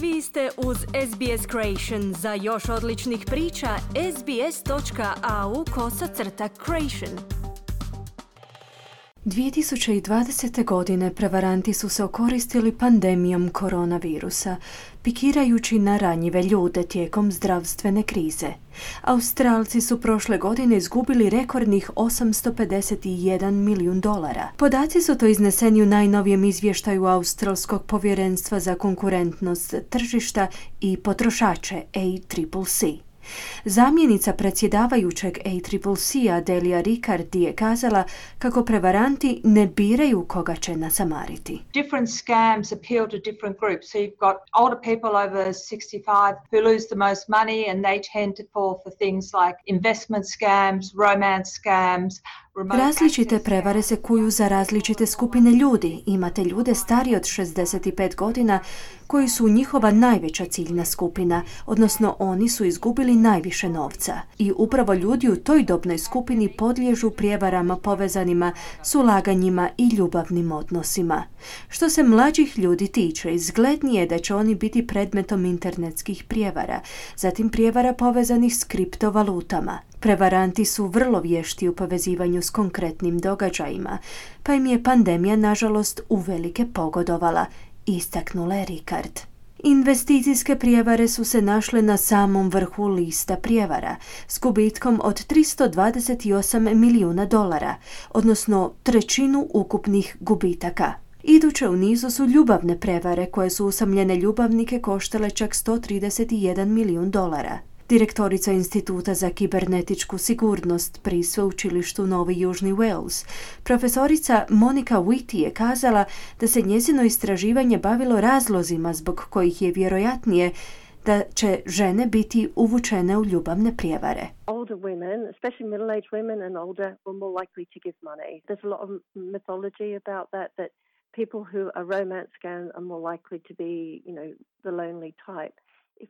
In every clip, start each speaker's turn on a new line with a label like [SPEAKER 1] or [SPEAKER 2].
[SPEAKER 1] Vi ste uz SBS Creation. Za još odličnih priča, sbs.au/creation. 2020. godine prevaranti su se okoristili pandemijom koronavirusa, pikirajući na ranjive ljude tijekom zdravstvene krize. Australci su prošle godine izgubili rekordnih $851 milijun. Podaci su to izneseni u najnovijem izvještaju Australskog povjerenstva za konkurentnost tržišta i potrošače ACCC. Zamjenica predsjedavajućeg ACCC-a Delia Riccardi je kazala kako prevaranti ne biraju koga će nasamariti.
[SPEAKER 2] Different scams appeal to different groups. So you've got older people over 65 who lose the most money and they tend to fall for things like investment scams, romance scams.
[SPEAKER 1] Različite prevare se kuju za različite skupine ljudi. Imate ljude stariji od 65 godina koji su njihova najveća ciljna skupina, odnosno oni su izgubili najviše novca. I upravo ljudi u toj dobnoj skupini podliježu prijevarama povezanima s ulaganjima i ljubavnim odnosima. Što se mlađih ljudi tiče, izglednije je da će oni biti predmetom internetskih prijevara, zatim prijevara povezanih s kriptovalutama. Prevaranti su vrlo vješti u povezivanju s konkretnim događajima, pa im je pandemija nažalost uvelike pogodovala, istaknula je Ricard. Investicijske prijevare su se našle na samom vrhu lista prijevara s gubitkom od $328 milijuna, odnosno trećinu ukupnih gubitaka. Iduće u nizu su ljubavne prevare koje su usamljene ljubavnike koštale čak $131 milijun. Direktorica Instituta za kibernetičku sigurnost pri sveučilištu Novi Južni Wales, profesorica Monica Whitty je kazala da se njezino istraživanje bavilo razlozima zbog kojih je vjerojatnije da će žene biti uvučene u ljubavne prijevare.
[SPEAKER 3] Older women, especially middle-aged women and older, were more likely to give money. There's a lot of mythology about that people who are romance scams are more likely to be, the lonely type.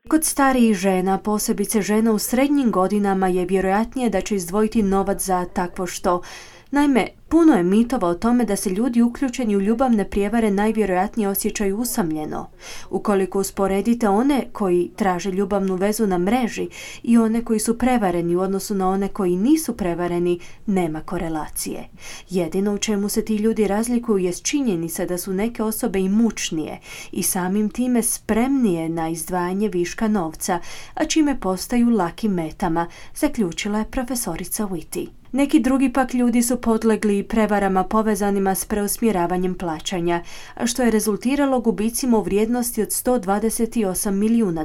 [SPEAKER 1] Kod starijih žena, posebice žena u srednjim godinama, je vjerojatnije da će izdvojiti novac za takvo što. Naime, puno je mitova o tome da se ljudi uključeni u ljubavne prijevare najvjerojatnije osjećaju usamljeno. Ukoliko usporedite one koji traže ljubavnu vezu na mreži i one koji su prevareni u odnosu na one koji nisu prevareni, nema korelacije. Jedino u čemu se ti ljudi razlikuju jest činjenica da su neke osobe imućnije i samim time spremnije na izdvajanje viška novca, a čime postaju lakim metama, zaključila je profesorica Whitty. Neki drugi pak ljudi su podlegli prevarama povezanima s preusmjeravanjem plaćanja, a što je rezultiralo gubicima u vrijednosti od $128 milijuna.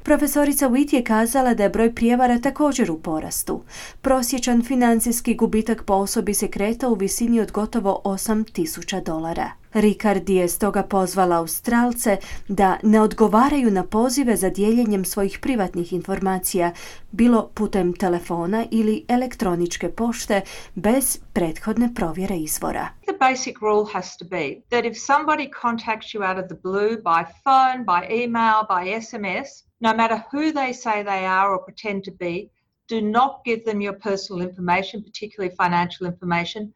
[SPEAKER 1] Profesorica Whitty je kazala da je broj prijevara također u porastu. Prosječan financijski gubitak po osobi se kreta u visini od gotovo $8,000. Riccardi je stoga pozvala Australce da ne odgovaraju na pozive za dijeljenjem svojih privatnih informacija, bilo putem telefona ili elektroničke pošte, bez prethodne provjere izvora.
[SPEAKER 2] The basic rule has to be that if somebody contacts you out of the blue by phone, by email, by SMS, no matter who they say they are or pretend to be, do not give them your personal information, particularly financial information.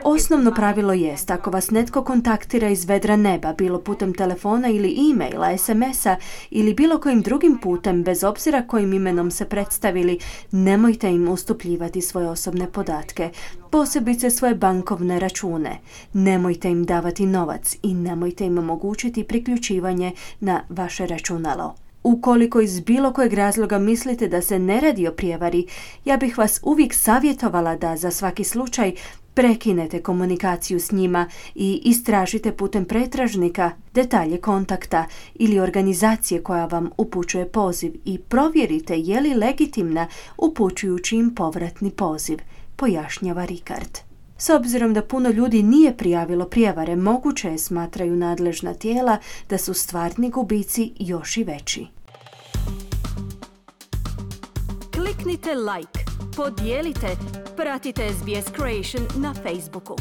[SPEAKER 1] Osnovno pravilo jest, ako vas netko kontaktira iz vedra neba, bilo putem telefona ili e-maila, SMS-a ili bilo kojim drugim putem, bez obzira kojim imenom se predstavili, nemojte im ustupljivati svoje osobne podatke, posebice svoje bankovne račune. Nemojte im davati novac i nemojte im omogućiti priključivanje na vaše računalo. Ukoliko iz bilo kojeg razloga mislite da se ne radi o prijevari, ja bih vas uvijek savjetovala da za svaki slučaj prekinete komunikaciju s njima i istražite putem pretražnika detalje kontakta ili organizacije koja vam upućuje poziv i provjerite je li legitimna upućujući im povratni poziv, pojašnjava Ricard. S obzirom da puno ljudi nije prijavilo prijevare, moguće je, smatraju nadležna tijela, da su stvarni gubici još i veći. Kliknite like, podijelite, pratite SBS Creation na Facebooku.